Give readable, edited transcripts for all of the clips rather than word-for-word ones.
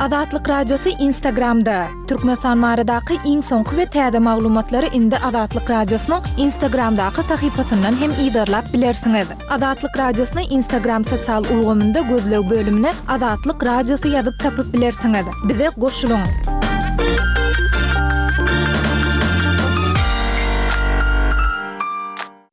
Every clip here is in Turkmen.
Azatlyk Radiosy Instagramda! Türkmenistan baradaky iň soňky we täze maglumatlary indi Azatlyk Radiosynyň Instagramdaky sahypasyndan hem yzarlap bilersiňiz. Azatlyk Radiosyny Instagram sosial ulgamynda gözleg bölümine Azatlyk Radiosy ýazyp tapyp bilersiňiz. Bize goşulyň!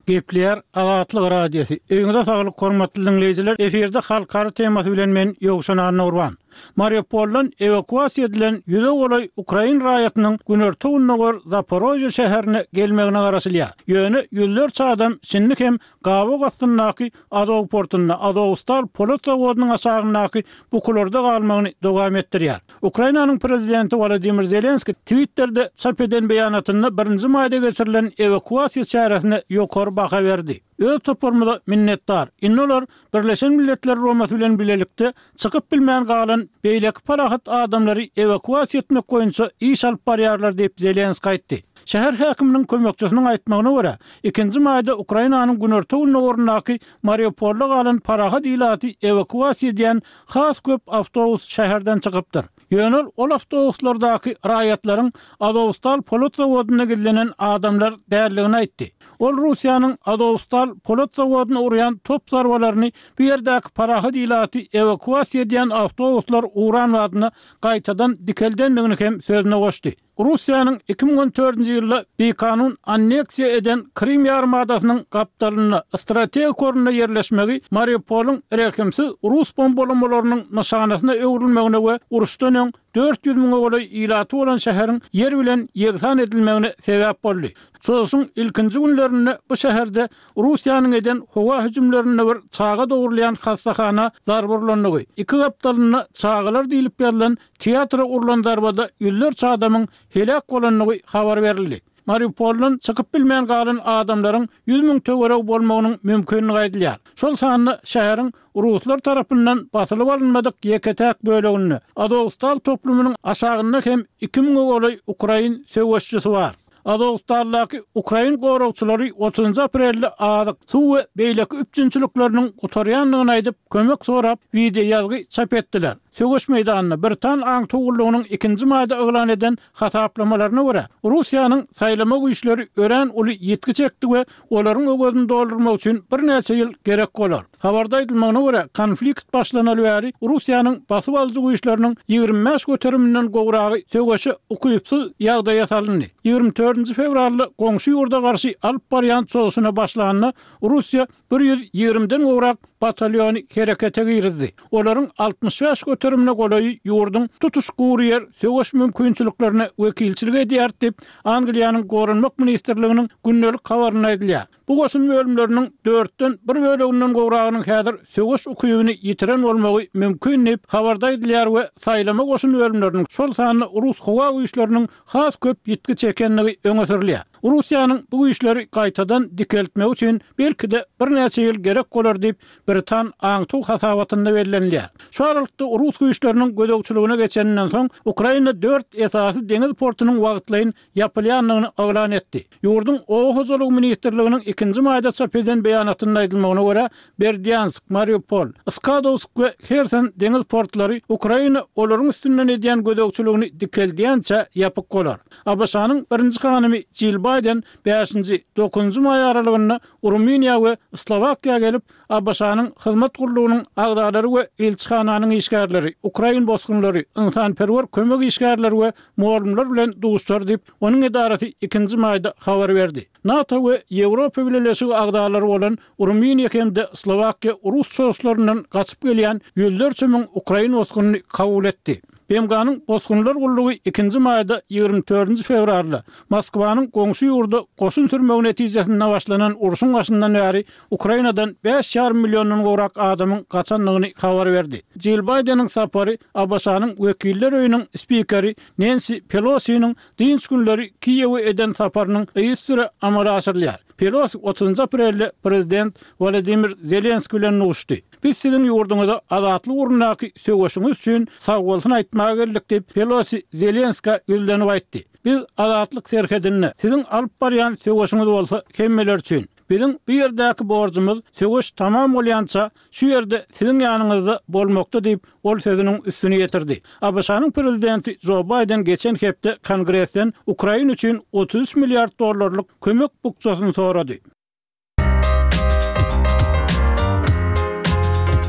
Gepleýär Azatlyk Radiosy. Öýüňize saglyk hormatly diňleýjiler! Efirde halkara temasy bilen men Ýowşan Annagurban. Mariupoldan ewakuasiýa edilen ýüze golaý ukrain raýatynyň günorta-gündogar Zaporožýe şäherine gelmegine garaşylýar. Ýöne ýüzlerçe adam şindi hem gabaw astyndaky Azow portunda, Azowstal polat zawodynyň aşagyndaky bukularda galmagyny dowam etdirýär. Ukrainanyň prezidenti Wolodymyr Zelenskiý Twitterde çap eden beýanatynda birinji maýda geçirilen ewakuasiýa çäresine ýokary baha berdi. Öz toparymyza minnetdar. Indi olar Birleşen Milletler Guramasy bilen bilelikde çykyp bilmän galan beýleki parahat adamlary ewakuasiýa etmek boýunça iş alyp barýarlar diýip, Zelenskiý aýtdy. Şäher häkiminiň kömekçisiniň aýtmagyna görä, ikinji maýda Ukrainanyň günorta-gündogaryndaky Mariupolda galan parahat ilaty ewakuasiýa edýän has köp awtobus şäherden çykypdyr. Ýöne ol ol awtobuslardaky raýatlaryň Azowstal polat zawodynda gizlenen adamlar däldigini aýtdy. Ol Russiýanyň Azowstal polat zawodyna urýan top zarbalaryny bu ýerdäki parahat ilaty ewakuasiýa edýän awtobuslar uran badyna gaýtadan dikeldendigini hem sözüne goşdy. Russiýanyň 2014-nji ýylda bikanun anneksiýa eden Krym ýarymadasynyň gapdalynda strategik orunda ýerleşmegi Mariupolyň rehimsiz rus bombalamalarynyň nyşanasyna öwrülmegine we uruşdan öň 400 müňe golaý ilaty bolan şäheriň ýer bilen ýegsan edilmegine sebäp boldy. Çozuşyň ilkinji günlerinde bu şäherde Russiýanyň eden howa hüjümlerinde bir çaga dogrulýan hassahana zarba urlandygy, iki gapdalynda çagalar diýlip ýazylan Teatra urlan zarbada ýüzlerçe adamyň heläk bolandygy habar berildi. Mariupoldan çykyp bilmän galan adamlaryň 100 müň töweregi bolmagynyň mümkindigi aýdylýar. Şol sanda şäheriň ruslar tarapyndan basylyp alynmadyk ýeke-täk böleginde, Azowstal toplumynyň aşagynda hem iki müňe golaý ukrain söweşijisi bar. Azowstaldaky ukrain goragçylary otuzynjy aprelde azyk, suw we beýleki üpjünçilikleriniň gutarýandygyny aýdyp, kömek sorap, wideoýazgy çap etdiler. Söweş meýdanynda britan aňtaw gullugynyň ikinji maýda yglan eden hasaplamalaryna görä, Russiýanyň saýlama güýçleri örän uly ýitgi çekdi we olaryň öwezini doldurmak üçin birnäçe ýyl gerek bolar. Habarda aýdylmagyna görä, konflikt başlanaly bäri Russiýanyň basyp alyjy güýçleriniň 25 göteriminden gowragy söweşe ukypsyz ýagdaýa salyndy. 24-nji fewralda goňşy ýurda garşy alyp barýan çozuşyna başlanda, Russiýa bir ýüz ýigrimiden gowrak batalýony herekete girizdi. Olaryň 65 göterimine golaýy ýurduň tutuş gury ýer söweş mümkinçiliklerine wekilçilik edýär diýip, Angliýanyň Goranmak ministrliginiň gündelik habarynda aýdylýar. Bu goşun bölümleriniň dörtden bir böleginden gowragynyň häzir söweş ukybyny ýitiren bolmagy mümkin diýip, habarda aýdylýar we saýlama goşun bölümleriniň, şol sanda rus howa güýçleriniň has köp ýitgi çekendigi öňe sürülýär. Russiýanyň bu güýçleri gaýtadan dikeltmegi üçin belki-de birnäçe ýyl gerek bolar diýip, britan aňtaw hasabatynda bellenilýär. Şu aralykda rus güýçleriniň gözegçiligine geçeninden soň, Ukraina dört esasy deňiz portunyň wagtlaýyn ýapylýandygyny yglan etdi. Ýurduň Oba hojalygy ministrliginiň ikinji maýda çap eden beýanatynda aýdylmagyna görä, Berdýansk, Mariupol, Skadowsk we Herson deňiz portlary Ukraina olaryň üstünden edýän gözegçiligini dikeldýänçä ýapyk bolar. ABŞ-nyň birinji hanymy Jill Baýden bäşinji, dokuzynjy maý aralygynda Rumyniýa we Slowakiýa gelip, ABŞ-nyň hyzmat gullugynyň agzalary we ilçihananyň işgärleri, ukrain bosgunlary, ynsanperwer kömek işgärleri we mugallymlar bilen duşuşar diýip, onuň edarasy ikinji maýda habar berdi. NATO we Ýewropa Bileleşigi agzalary bolan Rumyniýa hem-de Slowakiýa rus çozuşlaryndan gaçyp gelýän ýüzlerçe müň ukrain bosgunyny kabul etdi. BMG-niň Bosgunlar gullugy ikinji maýda, 24-nji fewralda, Moskwanyň goňşy ýurda goşun sürmegi netijesinde başlanan urşuň başyndan bäri Ukrainadan bäş ýarym milliondan gowrak adamyň gaçandygyny habar berdi. Jill Baýdeniň sapary ABŞ-nyň Wekiller öýüniň spikeri Nensi Pelosiniň dynç günleri Kiýewe eden saparynyň yzysüre amala aşyrylýar. Pelosi otuzynjy aprelde prezident Wolodymyr Zelenskiý bilen duşdy. Biz siziň ýurduňyza azatlyk ugrundaky söweşiňiz üçin sagbolsun aýtmaga geldik diýip, Pelosi Zelenskä ýüzlenip aýtdy. Biz azatlyk serhedinde, siziň alyp barýan söweşiňiz bolsa hemmeler üçin. Biziň bu ýerdäki borjumyz söweş tamam bolýança şu ýerde siziň ýanyňyzda bolmakda diýip, ol sözüniň üstüni ýetirdi. ABŞ-nyň prezidenti Jo Baýden geçen hepde Kongresden Ukraina üçin 33 milliard dollarlyk kömek bukjasyny sorady.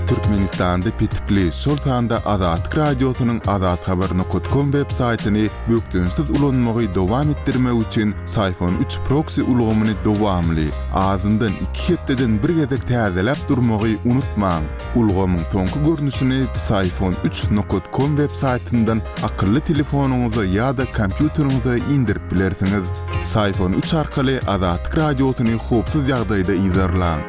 Türkmenistanda petikli, şol sanda Azatlyk Radiosynyň azathabar nokat kom web saýtyny bökdençsiz ulanmagy dowam etdirmek üçin Syfon üç proksi ulgamyny dowamly, azyndan iki hepdeden bir gezek täzeläp durmagy unutmaň. Ulgamyň soňky görnüşini Psiphon üç nokat kom web saýtyndan akylly telefonyňyza ýa-da kompýuteriňize indirip bilersiňiz. Psiphon üç arkaly Azatlyk Radiosyny howpsuz ýagdaýda yzarlaň.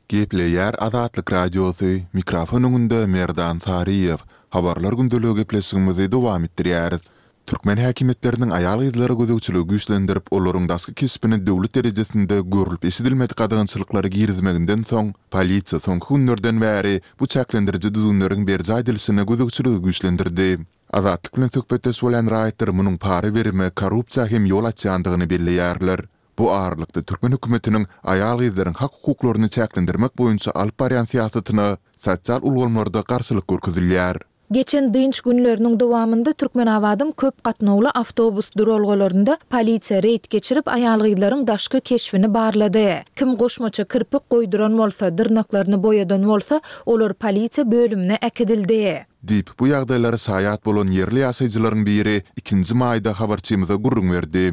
Gepleýär Azatlyk Radiosy, mikrofon öňünde Merdan Saryýew. Habarlar gündeligi gepleşigimizi dowam etdirýäris. Türkmen häkimiýetleriniň aýal-gyzlara gözegçiligi güýçlendirip, olaryň daşky keşbine döwlet derejesinde görlüp-eşidilmedik gadagançylyklary girizmeginden soň, polisiýa soňky günlerden bäri bu çäklendiriji düzgünleriň berjaý edilişine gözegçiligi güýçlendirdi. Azatlyk bilen söhbetdeş bolýan raýatlar munuň para berime, korrupsiýa hem ýol açýandygyny belleýärler. Bu aralykda, türkmen hökümetiniň aýal-gyzlaryň hak-hukuklaryny çäklendirmek boýunça alyp barýan syýasatyna sosial ulgamlarda garşylyk görkezilýär. Geçen dynç günleriniň dowamynda Türkmenabadyň köp gatnawly awtobus duralgalarynda polisiýa reýd geçirip, aýal-gyzlaryň daşky keşbini barlady. Kim goşmaça kirpik goýduran bolsa, dyrnaklaryny boýadan bolsa, olar polisiýa bölümine äkidildi. Diýip, bu ýagdaýlara şaýat bolan ýerli ýaşaýjylaryň biri ikinji maýda habarçymyza gürrüň berdi.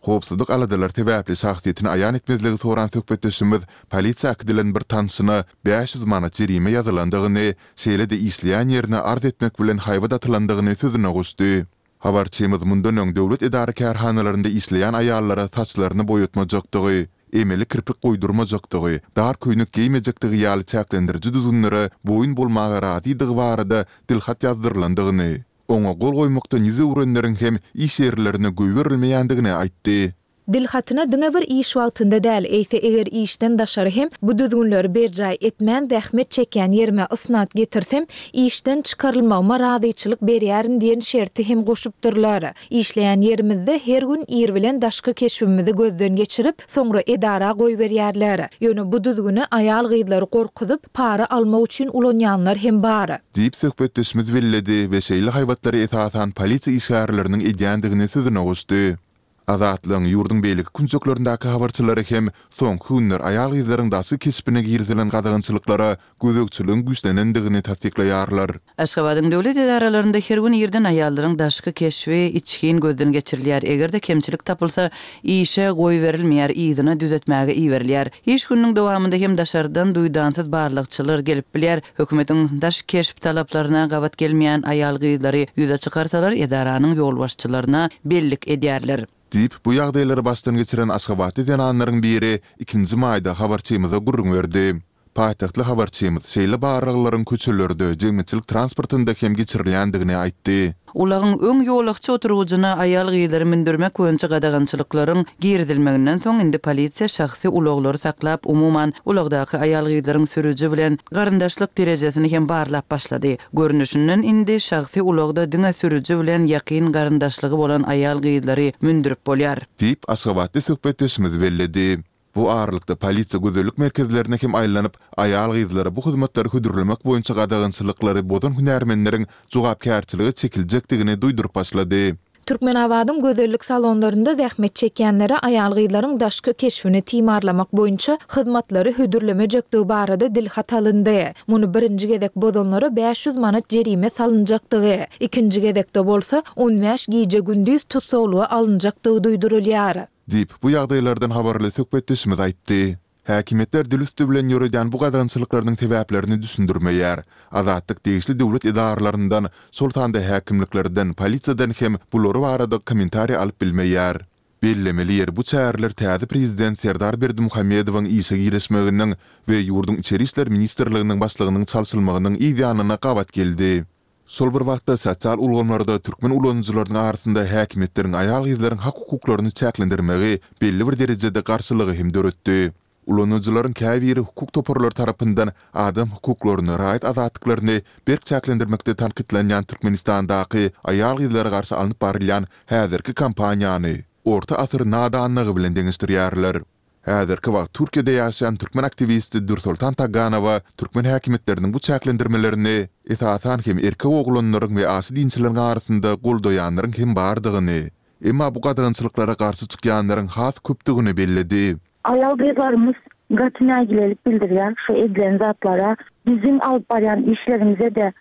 Howpsuzlyk aladalary sebäpli şahsyýetini aýan etmezligi soran söhbetdeşimiz polisiýa äkidilen bir tanşyna 500 manat jerime ýazylandygyny, şeýle-de işleýän ýerine arz etmek bilen haýbat atylandygyny sözüne goşdy. Habarçymyz mundan öň döwlet edara-kärhanalarynda işleýän aýallara saçlaryny boýatmajakdygy, emeli kirpik goýdurmajakdygy, dar köýnek geýmejekdigi ýaly çäklendiriji düzgünlere boýun bolmaga razydygy barada dilhat ýazdyrylandygyny, Oňa gol goýmakdan ýüz öwrenleriň hem iş ýerlerine goýberilmeýändigini aýtdy. Dil hatyna diňe bir iş wagtynda däl, eýse eger işden daşary hem bu düzgünleri berjaý etmän zähmet çekýän ýerime ysnat getirsem, işden çykarylmagyma razyçylyk berýärin diýen şerti hem goşupdyrlar. Işleýän ýerimizde her gün ir bilen daşky keşbimizi gözden geçirip, soňra edara goýberýärler. Ýöne bu düzgüni aýal-gyzlary gorkuzyp, para almak üçin ulanýanlar hem bar. Diýip, söhbetdeşimiz belledi we şeýle haýbatlary esasan polisiýa işgärleriniň edýändigini sözüne goşdy. Azatlygyň ýurduň beýleki künjeklerindäki habarçylary hem soňky günler aýal-gyzlaryň daşky keşbine girizilen gadagançylyklara gözegçiligiň güýçlenendigini tassyklaýarlar. Aşgabadyň döwlet edaralarynda her gün irden aýallaryň daşky keşbi içgin gözden geçirilýär. Eger-de kemçilik tapylsa, işe goýberilmeýär, yzyna düzetmäge iberilýär. Iş gününiň dowamynda hem daşardan duýdansyz barlagçylar gelip bilýär. Hökümetiň daş keşp talaplaryna gabat gelmeýän aýal-gyzlary ýüze çykarsalar, edaranyň ýolbaşçylaryna bellik edýärler. Diýip, bu ýagdaýlary başdan geçiren aşgabatly zenanlaryň biri ikinji maýda habarçymyza gürrüň berdi. Paýtagtly habarçymyz şeýle barlaglaryň köçelerde, jemgyýetçilik transportynda hem geçirilýändigini aýtdy. Ulagyň öň ýolagçy oturgyjyna aýal-gyzlary mündürmek boýunça gadagançylyklaryň girizilmeginden soň, indi polisiýa şahsy ulaglary saklap, umuman, ulagdaky aýal-gyzlaryň sürüji bilen garyndaşlyk derejesini hem barlap başlady. Görnüşinden, indi şahsy ulagda diňe sürüji bilen ýakyn garyndaşlygy bolan aýal-gyzlary mündürip bolýar. Diýip, aşgabatly söhbetdeşimiz belledi. Bu aralykda, polisiýa gözellik merkezlerine hem aýlanyp, aýal-gyzlara bu hyzmatlary hödürlemek boýunça gadagançylyklary bozan hünärmenleriň jogapkärçilige çekiljekdigini duýduryp başlady. Türkmenabadyň gözellik salonlarynda zähmet çekýänlere aýal-gyzlaryň daşky keşbini timarlamak boýunça hyzmatlary hödürlemejekdigi barada dilhat alyndy. Muny birinji gezek bozanlara 500 manat jerime salynjakdygy, ikinji gezekde bolsa, on bäş gije-gündiz tussaglyga alynjakdygy duýdurylýar. Diýip, bu ýagdaýlardan habarly söhbetdeşimiz aýtdy. Häkimiýetler dil üsti bilen ýöredýän bu gadagançylyklarynyň sebäplerini düşündirmeýär. Azatlyk degişli döwlet edaralaryndan, şol sanda häkimliklerden, polisiýadan hem bulary barada kommentariý alyp bilmeýär. Bellemeli ýeri, bu çäreler täze prezident Serdar Berdimuhamedowyň işe girişmeginiň we ýurduň Içeri işler ministrliginiň başlygynyň çalşylmagynyň yz ýanyna gabat geldi. Şol bir wagtda, sosial ulgamlarda türkmen ulanyjylarynyň arasynda häkimiýetleriň aýal-gyzlaryň hak-hukuklaryny çäklendirmegi belli bir derejede garşylygy hem döretdi. Ulanyjylaryň käbiri hukuk toparlary tarapyndan adam hukuklaryny, raýat azatlyklaryny berk çäklendirmekde tankytlanýan Türkmenistandaky aýal-gyzlara garşy alnyp barylýan häzirki kampaniýany. orta asyr nadanlygy bilen deňeşdirýärler. Häzirki wagt Türkiýede ýaşaýan türkmen aktiwisti Dürsoltan Taganowa türkmen häkimiýetleriniň bu çäklendirmelerini, esasan hem erkek oglanlaryň we aşa dinçileriň arasynda goldaýanlaryň hem bardygyny, emma bu gadagançylyklara garşy çykýanlaryň has köpdügini belledi. Aýal-gyzlarymyz gaty nägilelik bildirýär şu edilen zatlara. Biziň alyp barýan işlerimize-de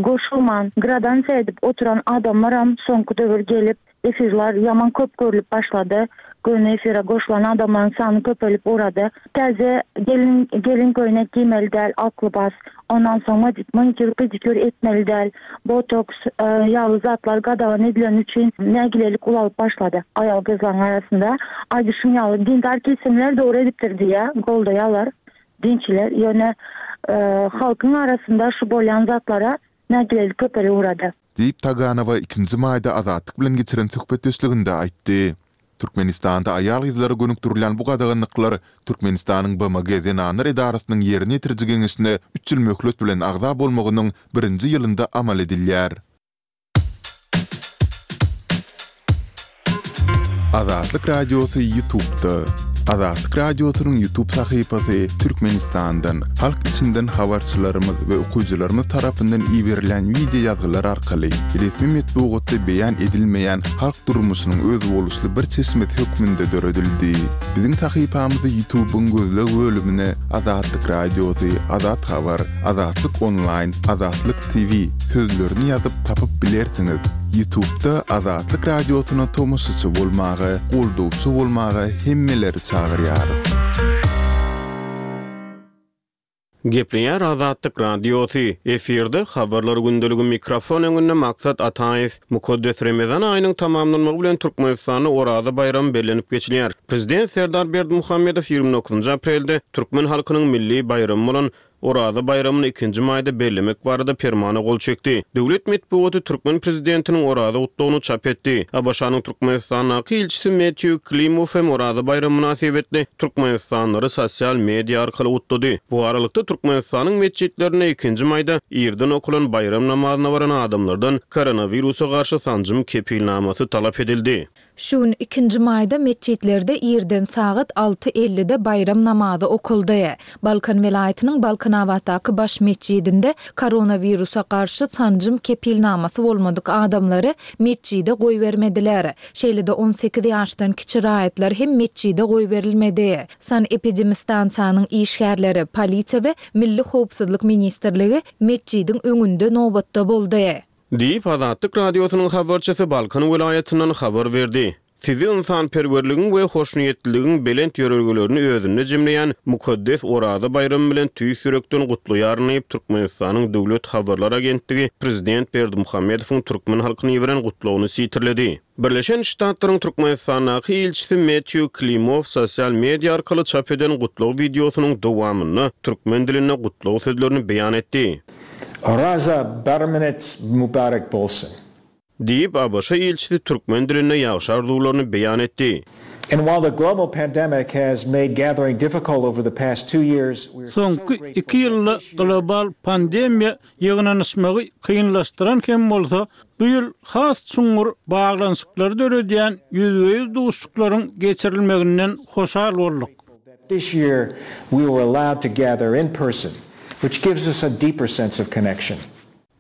goşulman, gradansiýa edip oturan adamlaram soňky döwür gelip, Efirler ýaman köp görlüp başlady. Göni efire goşulan adamlaryň sany köpelip ugrady. Täze gelin gelin köýnek giýmeli däl, ak lybas. Ondan soň manikýur pedikýur etmeli däl. Botoks ýaly zatlar gadagan edileni üçin nägilelik ulalyp başlady aýal gyzlaryň arasynda. Aýdyşym ýaly dindar kesimler dogry edipdir diýýär, goldaýarlar dinçiler. Ýöne halkyň arasynda şu bolýan zatlara nägilelik köpelip ugrady. Diýip, Taganowa ikinji maýda Azatlyk bilen geçiren söhbetdeşliginde aýtdy. Türkmenistanda aýal-gyzlara gönükdirilýän bu gadaganlyklar Türkmenistanyň BMG Zenanlar edarasynyň Ýerine ýetiriji geňeşine üç ýyl möhlet bilen agza bolmagynyň birinji ýylynda amal edilýär. Azatlyk Radiosy Ýutubda. Azatlyk Radiosynyň Ýutub sahypasy Türkmenistandan, halk içinden habarçylarymyz we okyjylarymyz tarapyndan iberilýän wideo ýazgylar arkaly resmi metbugatda beýan edilmeýän halk durmuşynyň özboluşly bir çeşmesi hökmünde döredildi. Biziň sahypamyzy Ýutubyň gözleg bölümine Azatlyk Radiosy, Azat Habar, Azatlyk Onlaýn, Azatlyk TV sözlerini ýazyp tapyp bilersiňiz. Ýutubda Azatlyk Radiosyna tomaşaçy bolmaga, goldawçy bolmaga hemmeleri çagyrýarys. Gepleýär Azatlyk Radiosy, efirde Habarlar gündeligi mikrofon öňünde Maksat Ataýew. Mukaddes Remezan aýynyň tamamlanmagy bilen Türkmenistanda Oraza baýramy bellenip geçilýär. Prezident Serdar Berdimuhamedow 29 aprelde türkmen halkynyň milli baýramy bolan Oraza baýramyny ikinji maýda bellemek barada permana gol çekdi. Döwlet metbugaty türkmen prezidentiniň Oraza gutlagyny çap etdi. ABŞ-nyň Türkmenistandaky ilçisi Metýu Klimow hem Oraza baýramy mynasybetli türkmenistanlylary sosial media arkaly gutlady. Bu aralykda, Türkmenistanyň metjitlerinde ikinji maýda irden okalan baýram namazyna baran adamlardan koronawirusa garşy sanjym kepilnamasy talap edildi. Şu gün, ikinji maýda metjitlerde irden sagat alty ellide baýram namazy okaldy. Balkan welaýatynyň Balkanabatdaky baş metjidinde koronawirusa garşy sanjym kepilnamasy bolmadyk adamlary metjide goýbermediler. Şeýle-de 18 ýaşdan kiçi raýatlar hem metjide goýberilmedi. Sanepidemistansiýanyň işgärleri, polisiýa we Milli howpsuzlyk ministrligi metjidiň öňünde nobatda boldy. Diýip, Azatlyk Radiosynyň habarçysy Balkan welaýatyndan habar berdi. Sizi ynsanperwerligiň we hoşniýetliligiň belent ýörelgelerini özünde jemleýän mukaddes Oraza baýramy bilen tüýs ýürekden gutlaýaryn diýip, Türkmenistanyň Döwlet habarlar agentligi prezident Berdimuhamedowyň türkmen halkyna iberen gutlagyny sitirledi. Birleşen Ştatlaryň Türkmenistandaky ilçisi Metýu Klimow sosial media arkaly çap eden gutlag wideosynyň dowamynda türkmen dilinde gutlag sözlerini beýan etdi. Oraza baramynyz mübarek bolsun! Diýip, ABŞ ilçisi türkmen dilinde ýagşy arzuwlaryny beýan etdi. And while the global pandemic has made gathering difficult over the past two years, we are so Soňky grateful iki that ýylda this year, global pandemiýa ýygnanyşmagy kynlaşdyran hem bolsa, bu ýyl has çuňňur baglanyşyklary döredýän ýüzbe-ýüz duşuşyklaryň geçirilmeginden hoşal bolduk. This year we were allowed to gather in person, which gives us a deeper sense of connection.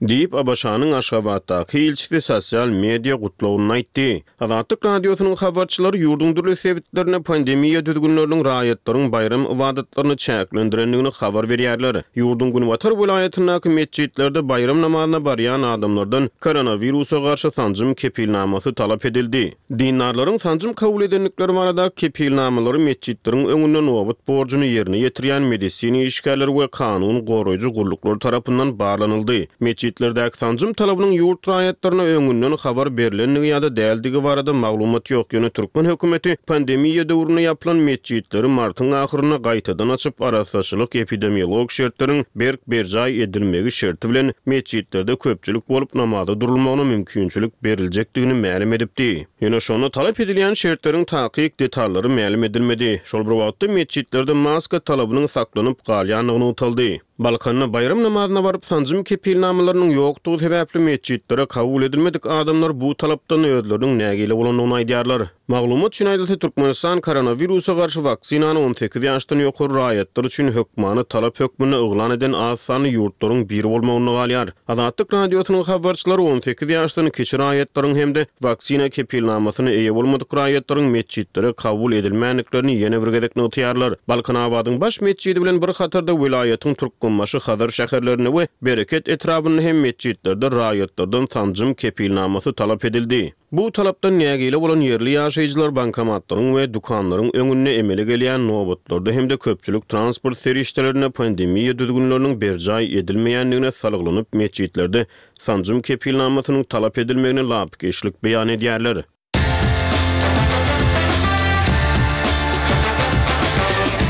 Diýip, ABŞ-nyň Aşgabatdaky ilçisi sosial media gutlagynda aýtdy. Azatlyk Radiosynyň habarçylary ýurduň dürli sebitlerinde pandemiýa düzgünleriniň raýatlaryň baýram ybadatlaryny çäklendirendigini habar berýärler. Ýurduň günbatar welaýatyndaky metjitlerde baýram namazyna barýan adamlardan koronawirusa garşy sanjym kepilnamasy talap edildi. Dindarlaryň sanjym kabul edendikleri barada kepilnamalary metjitleriň öňünde nobat borjuny ýerine ýetirýän medisina işgärleri we kanun goraýjy gulluklar tarapyndan barlanyldy. Metjitlerdäki sanjym talabynyň ýurt raýatlaryna öňünden habar berlendigi ýa-da däldigi barada maglumat ýok, ýöne türkmen hökümeti pandemiýa döwründe ýapylan metjitleri martyň ahyrynda gaýtadan açyp, arassaçylyk-epidemiologik şertleriň berk berjaý edilmegi şerti bilen metjitlerde köpçülik bolup namaza durulmagyna mümkinçilik beriljekdigini mälim edipdi. Ýöne şonda talap edilýän şertleriň takyk detallary mälim edilmedi. Şol bir wagtda, metjitlerde maska talabynyň saklanyp galýandygy nygtaldy. Balkanda baýram namazyna baryp, sanjym kepilnamalarynyň ýokdugy sebäpli metjitlere kabul edilmedik adamlar bu talapdan özleriniň nägile bolandygyny aýdýarlar. Maglumat üçin aýdylsa, Türkmenistan koronawirusa garşy waksinany 18 ýaşdan ýokary raýatlar üçin hökmany talap hökmünde yglan eden az sanly ýurtlaryň biri bolmagynda galýar. Azatlyk Radiosynyň habarçylary 18 ýaşdan kiçi raýatlaryň hem-de waksina kepilnamasyna eýe bolmadyk raýatlaryň metjitlere kabul edilmändiklerini ýene bir gezek nygtaýarlar. Balkanabadyň baş metjidi bilen bir hatarda welaýatyň Türkmenbaşy, Hazar şäherlerinde we Bereket etrabynda hem metjitlerde raýatlardan sanjym kepilnamasy talap edildi. Bu talapdan nägile bolan ýerli ýaşaýjylar bankomatlaryň we dükanlaryň öňünde emele gelýän nobatlarda hem-de köpçülik transport serişdelerinde pandemiýa düzgünleriniň berjaý edilmeýändigine salgylanyp, metjitlerde sanjym kepilnamasynyň talap edilmegine lapykeçlik beýan edýärler.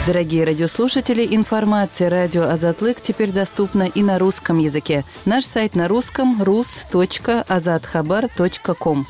Дорогие радиослушатели, информация радио Азатлык теперь доступна и на русском языке. Наш сайт на русском rus.azathabar.com.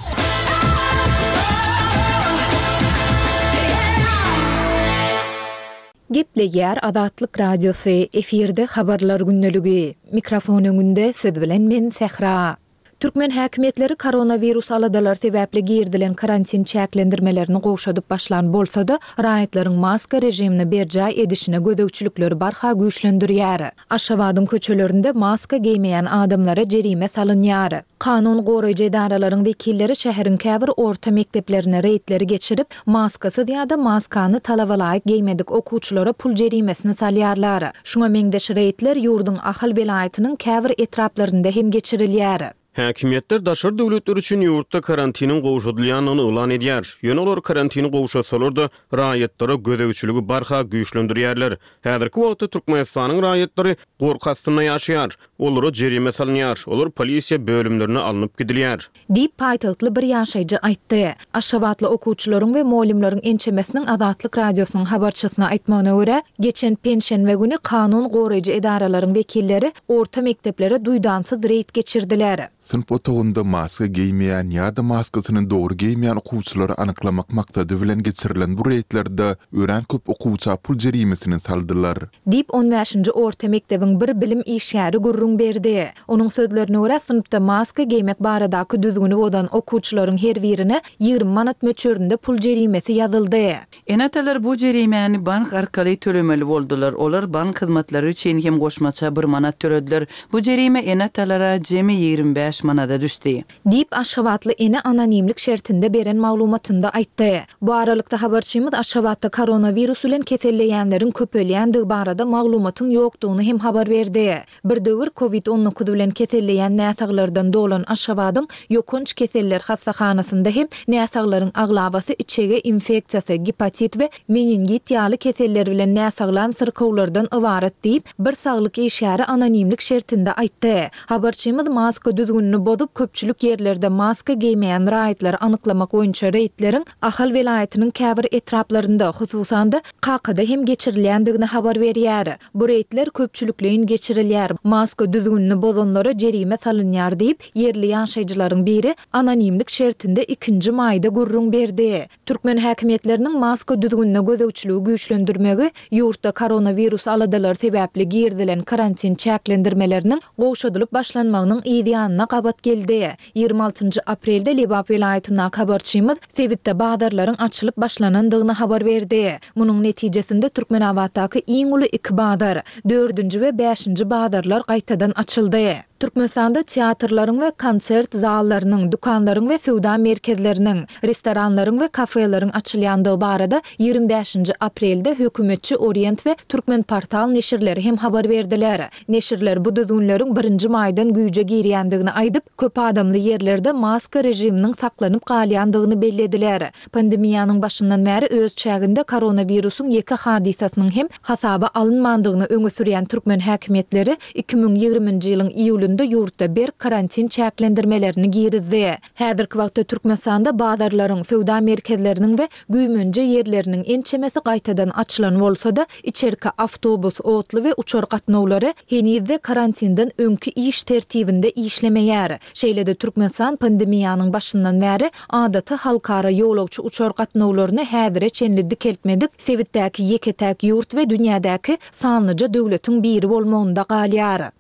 Gepleýär Azatlyk Radiosy, efirde Habarlar gündeligi. Mikrofon öňünde siz bilen men Sähra. Türkmen häkimiýetleri koronawirus aladalary sebäpli girizilen karantin çäklendirmelerini gowşadyp başlan bolsa-da, raýatlaryň maska režimini berjaý edişine gözegçilikleri barha güýçlendirýär. Aşgabadyň köçelerinde maska geýmeýän adamlara jerime salynýar. Kanun goraýjy edaralaryň wekilleri şäheriň käbir orta mekdeplerine reýdleri geçirip, maskasyz ýa-da maskany talabalaýyk geýmedik okuwçylara pul jerimesini salýarlar. Şuňa meňzeş reýdler ýurduň Ahal welaýatynyň käbir etraplarynda hem geçirilýär. Häkimiýetler daşary döwletler üçin ýurtda karantiniň gowşadylýandygyny yglan edýär. Ýöne olar karantini gowşatsalar-da, raýatlara gözegçiligi barha güýçlendirýärler. Häzirki wagtda Türkmenistanyň raýatlary gorky astynda ýaşaýar. Olara jerime salynýar, olar polisiýa bölümlerine alnyp gidilýär. Diýip, paýtagtly bir ýaşaýjy aýtdy. Aşgabatly okuwçylaryň we mugallymlaryň ençemesiniň Azatlyk Radiosynyň habarçysyna aýtmagyna görä, geçen penşenbe güni kanun goraýjy edaralaryň wekilleri orta mekdeplere duýdansyz reýd geçirdiler. Synp otagynda maska geýmeýän ýa-da maskasyny dogry geýmeýän okuwçylary anyklamak maksady bilen geçirilen bu reýdlerde örän köp okuwça pul jerimesini saldylar. Diýip, on bäşinji orta mekdebiň bir bilim işgäri gürrüň berdi. Onuň sözlerine görä, synpda maska geýmek baradaky düzgüni bozan okuwçylaryň her birine 20 manat möçberinde pul jerimesi ýazyldy. Ene-atalar bu jerimäni bank arkaly tölemeli boldular. Olar bank hyzmatlary üçin hem goşmaça bir manat tölediler. Bu jerime ene-atalara jemi 25 manada düşdi. Diýip, aşgabatly ene anonimlik şertinde beren maglumatynda aýtdy. Bu aralykda, habarçymyz Aşgabatda koronawirus bilen keselleýänleriň köpelýändigi barada maglumatyň ýokdugyny hem habar berdi. Bir döwür Covid 19 bilen keselleýän näsaglardan dolan Aşgabadyň ýokanç keseller hassahanasynda hem näsaglaryň aglabasy içege infeksiýasy, gepatit we meningit ýaly keseller bilen näsaglan syrkawlardan ybarat diýip, bir saglyk işgäri anonimlik şertinde aýtdy. Habarçymyz maska düzgünini bozup, köpçülik ýerlerde maska geýmeýän raýatlary anyklamak boýunça reýdleriň Ahal welaýatynyň käbir etraplarynda, hususan-da, Kakada hem geçirilýändigini habar berýär. Bu reýdler köpçülikleýin geçirilýär, maska düzgünini bozanlara jerime salynýar diýip, ýerli ýaşaýjylaryň biri anonimlik şertinde ikinji maýda gürrüň berdi. Türkmen häkimiýetleriniň maska düzgünine gözegçiligi güýçlendirmegi ýurtda koronawirus aladalary sebäpli girizilen karantin çäklendirmeleriniň gowşadylyp başlanmagynyň yz ýanyna gabat geldi. 26 njy aprelde Lebap welaýatyndaky habarçymyz sebitde bazarlaryň açylyp başlanandygyny habar berdi. Munuň netijesinde Türkmenabatdaky iň uly iki bazar, dördünji we bäşinji bazarlar gaýtadan açyldy. Türkmenistanda teatrlaryň we konsert zallarynyň, dükanlaryň we söwda merkezleriniň, restoranlaryň we kafeleriň açylýandygy barada 25 nji aprelde hökümetçi Orient we Türkmenportal neşirleri hem habar berdiler. Neşirler bu düzgünleriň birinji maýdan güýje girýändigini aýdyp, köp adamly ýerlerde maska režiminiň saklanyp galýandygyny bellediler. Pandemiýanyň başyndan bäri öz çäginde koronawirusyň ýeke hadysasynyň hem hasaba alynmandygyny öňe sürýän türkmen häkimiýetleri 2020-nji ýylyň iýulynda. iýulynda ýurtda berk karantin çäklendirmelerini girizdi. Häzirki wagtda Türkmenistanda bazarlaryň, söwda merkezleriniň we güýmenje ýerleriniň ençemesi gaýtadan açylan bolsa-da, içerki awtobus, otly we uçar gatnawlary heniz-de karantinden öňki iş tertibinde işlemeýär. Şeýle-de Türkmenistan pandemiýanyň başyndan bäri adaty halkara ýolagçy uçar gatnawlaryny häzire çenli dikeltmedik sebitdäki ýeke-täk ýurt we dünýädäki sanlyja döwletiň biri bolmagynda galýar.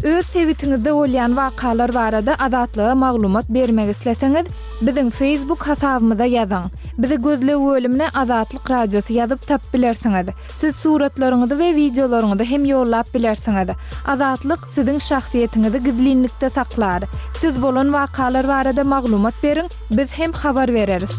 Öz sebitiňizde bolýan wakalar barada Azatlyga maglumat bermek isleseňiz, biziň Facebook hasabymyza ýazyň. Bizi gözleg bölümine Azatlyk Radiosy ýazyp tapyp bilersiňiz. Siz suratlaryňyzy we wideolaryňyzy hem ýollap bilersiňiz. Azatlyk siziň şahsyýetiňizi gizlinlikde saklar. Siz bolan wakalar barada maglumat beriň, biz hem habar bereris.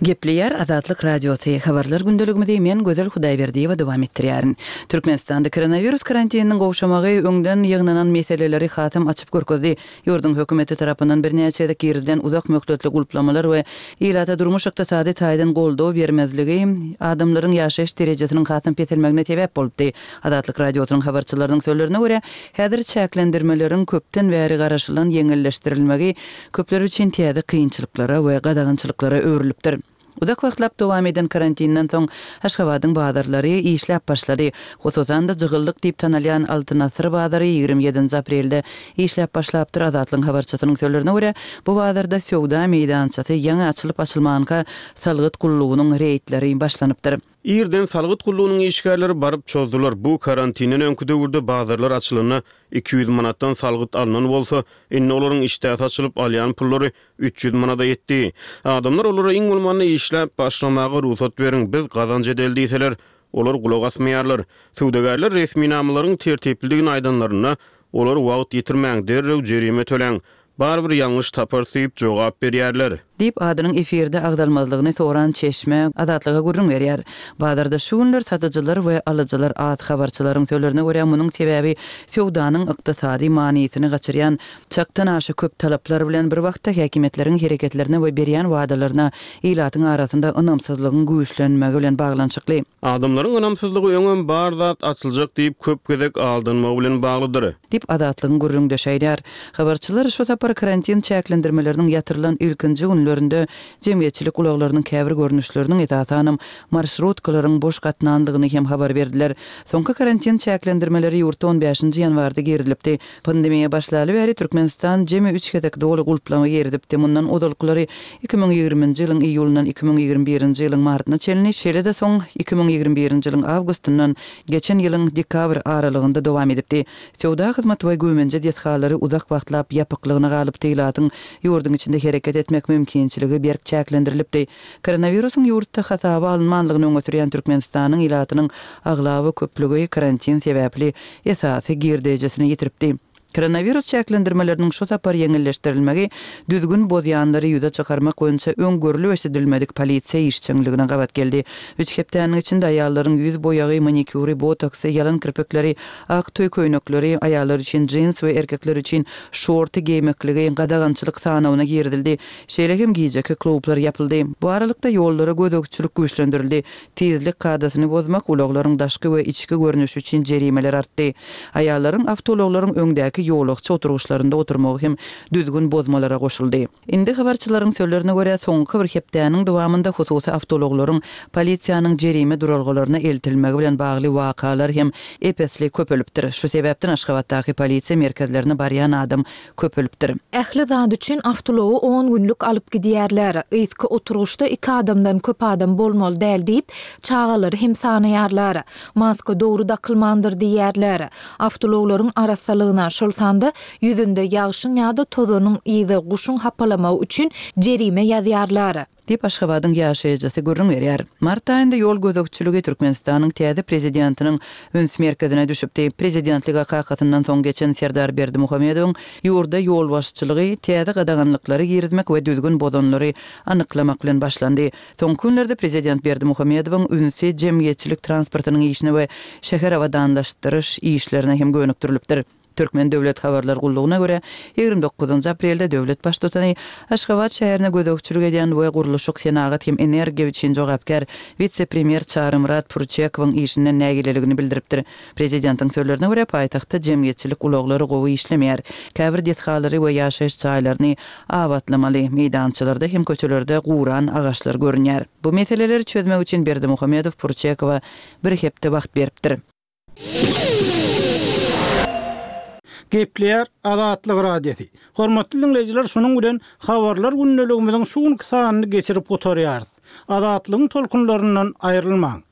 Gepleýär Azatlyk Radiosy, Habarlar gündeligimizi men Gözel Hudaýberdiýewa dowam etdirýärin. Türkmenistanda koronawirus karantininiň gowşamagy öňden ýygnanan meseleleri hasam açyp görkezdi. Ýurduň hökümeti tarapyndan birnäçe gezek girizilen uzak möhletli gulplamalar we ilata durmuş-ykdysady taýdan goldaw bermezligi adamlaryň ýaşaýyş derejesiniň hasam peselmegine sebäp bolupdy. Azatlyk Radiosynyň habarçylarynyň sözlerine görä, häzir çäklendirmeleriň köpden bäri garaşylan ýeňilleşdirilmegi köpler üçin täze kynçylyklara we gadagançylyklara öwrülipdir. Uzak wagtlap dowam eden karantinden soň Aşgabadyň bazarlary işläp başlady. Hususan-da, jygyllyk diýip tanalýan Altyn asyr bazary 27 nji aprelde işläp başlapdyr. Azatlygyň habarçysynyň sözlerine görä, bu bazarda söwda meýdançasy ýaňy açylyp-açylmanka salgyt gullugynyň reýdleri başlanypdyr. Irden salgyt gullugynyň işgärleri baryp çozdular. Bu karantinden öňki döwürde bazarlar açylanda 200 manatdan salgyt alnan bolsa, indi olaryň işdäsi açylyp alýan pullary 300 manada ýetdi. Adamlar olara iň bolmanda işläp başlamaga rugsat beriň, biz gazanç edeli diýseler, olar gulak asmaýarlar. Söwdagärler resminamalaryň tertiplidigini aýdanlarynda, olar wagt ýitirmäň, derrew jerime töläň, barybir ýalňyş taparys diýip jogap berýärler. Diýip, adynyň efirde agzalmazlygyny soran çeşme Azatlyga gürrüň berýär. Bazarda şu günler satyjylar we alyjylar az. Habarçylaryň sözlerine görä, munuň sebäbi söwdanyň ykdysady manysyny gaçyrýan Çakdan aşa köp talaplar bilen bir wagtda häkimiýetleriň hereketlerine we berýän wadalaryna ilatyň arasynda ynamsyzlygyň güýçlenmegi bilen baglanyşykly. Adamlaryň ynamsyzlygy öňem bar zat açyljak diýip köp gezek aldanmagy bilen baglydyr. Diýip, Azatlygyň gürrüňdeşi aýdýar. Habarçylar şu sapar karantin çäklendirmeleriniň ýatyrylan ilkinji günlerinde jemgyýetçilik ulaglarynyň käbir görnüşleriniň, esasanam, marşrutkalaryň boş gatnandygyny hem habar berdiler. Soňky karantin çäklendirmeleri ýurtda on bäşinji ýanwarda girizilipdi. Pandemiýa başlaly bäri Türkmenistan jemi üç gezek doly gulplama girizipdi. Mundan ozalkylary 2020-nji ýylyň iýulyndan 2021-nji ýylyň martyna çenli, şeýle-de soň 2021-nji ýylyň awgustyndan geçen ýylyň dekabr aralygynda dowam edipdi. Söwda, hyzmat we güýmenje desgalary uzak wagtlap ýapyklygyna galypdy, ilatyň ýurduň içinde hereket etmek mümkinçiligi berk çäklendirilipdi. Koronawirusyň ýurtda hasaba alynmanlygyny öňe sürýän Türkmenistanyň ilatynyň aglaba köplügi karantin sebäpli esasy girdeýjisini ýitiripdi. Koronawirus çäklendirmeleriniň şu sapar ýeňilleşdirilmegi düzgün bozýanlary ýüze çykarmak boýunça öň görlüp-eşidilmedik polisiýa işjeňligine gabat geldi. Üç hepdäniň içinde aýallaryň ýüz boýagy, manikýury, botoksy, ýalan kirpikleri, ak toý köýnekleri, aýallar üçin jins we erkekler üçin şorty geýmekligi gadagançylyk sanawyna girizildi. Şeýle hem gijeki klublar ýapyldy. Bu aralykda ýollara gözegçilik güýçlendirildi. Tizlik kadasyny bozmak, ulaglaryň daşky we içki görnüşi üçin jerimeler artdy. Aýallaryň awtoulaglaryň öňdäki ýolagçy oturgyçlarynda oturmagy hem düzgün bozmalara goşuldy. Indi habarçylaryň sözlerine görä, soňky bir hepdäniň dowamynda hususy awtoulaglaryň polisiýanyň jerime duralgalaryna eltilmegi bilen bagly wakalar hem ep-esli köpelipdir. Şu sebäpden Aşgabatdaky polisiýa merkezlerine barýan adam köpelipdir. Ähli zat üçin awtoulagy on günlük alyp gidýärler. Yzky oturgyçda iki adamdan köp adam bolmaly däl diýip, çagalary hem sanaýarlar. Maska dogry dakylmandyr diýýärler. Awtoulaglaryň arassalygyna, şol sanda ýüzünde ýagşyň ýa-da tozanyň yzy, guşuň hapalamagy üçin jerime ýazýarlar. Diýip, Aşgabadyň ýaşaýjysy gürrüň berýär. Mart aýynda ýol gözegçiligi Türkmenistanyň täze prezidentiniň üns merkezine düşüpdi. Prezidentlige kakasyndan soň geçen Serdar Berdimuhamedowyň ýurda ýolbaşçylygy täze gadaganlyklary girizmek we düzgün bozanlary anyklamak bilen başlandy. Soňky günlerde prezident Berdimuhamedowyň ünsi jemgyýetçilik transportynyň işine we şäher abadanlaşdyryş işlerine hem gönükdirilipdir. Türkmen döwlet habarlar gullugyna görä, 29 aprelde döwlet baştutany Aşgabat şäherine gözegçilik edýän we gurluşyk, senagat hem energiýa üçin jogapkär wise-premýer Çarymyrat Pürçekowyň işinden nägileligini bildiripdir. Prezidentiň sözlerine görä, paýtagtda jemgyýetçilik ulaglary gowy işlemeýär. Käbir desgalary we ýaşaýyş jaýlaryny abatlamaly, meýdançalarda hem köçelerde guran agaçlar görünýär. Bu meseleleri çözmek üçin Berdimuhamedow Purçekowa bir hepde wagt beripdir. Gepleýär Azatlyk Radiosy. Hormatly diňleýjiler şunuň bilen Habarlar gündeligimiziň şu günki sanyny geçirip gutarýarys. Azatlygyň tolkunlaryndan aýrylmaň.